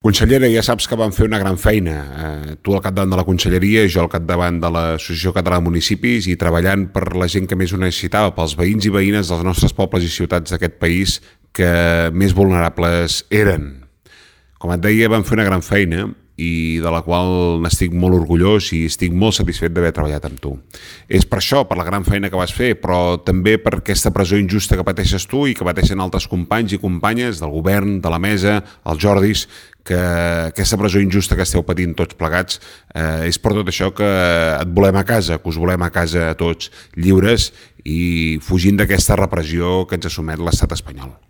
Consellera, ja saps que vam fer una gran feina. Tu al capdavant de la conselleria, jo al capdavant de l'Associació Catalana de Municipis i treballant per la gent que més ho necessitava, pels veïns i veïnes dels nostres pobles i ciutats d'aquest país que més vulnerables eren. Com et deia, vam fer una gran feina i de la qual n'estic molt orgullós i estic molt satisfet d'haver treballat amb tu. És per això, per la gran feina que vas fer, però també per aquesta presó injusta que pateixes tu i que pateixen altres companys i companyes del govern, de la mesa, els Jordis, que aquesta presó injusta que esteu patint tots plegats és per tot això que et volem a casa, que us volem a casa tots lliures i fugint d'aquesta repressió que ens assumet l'estat espanyol.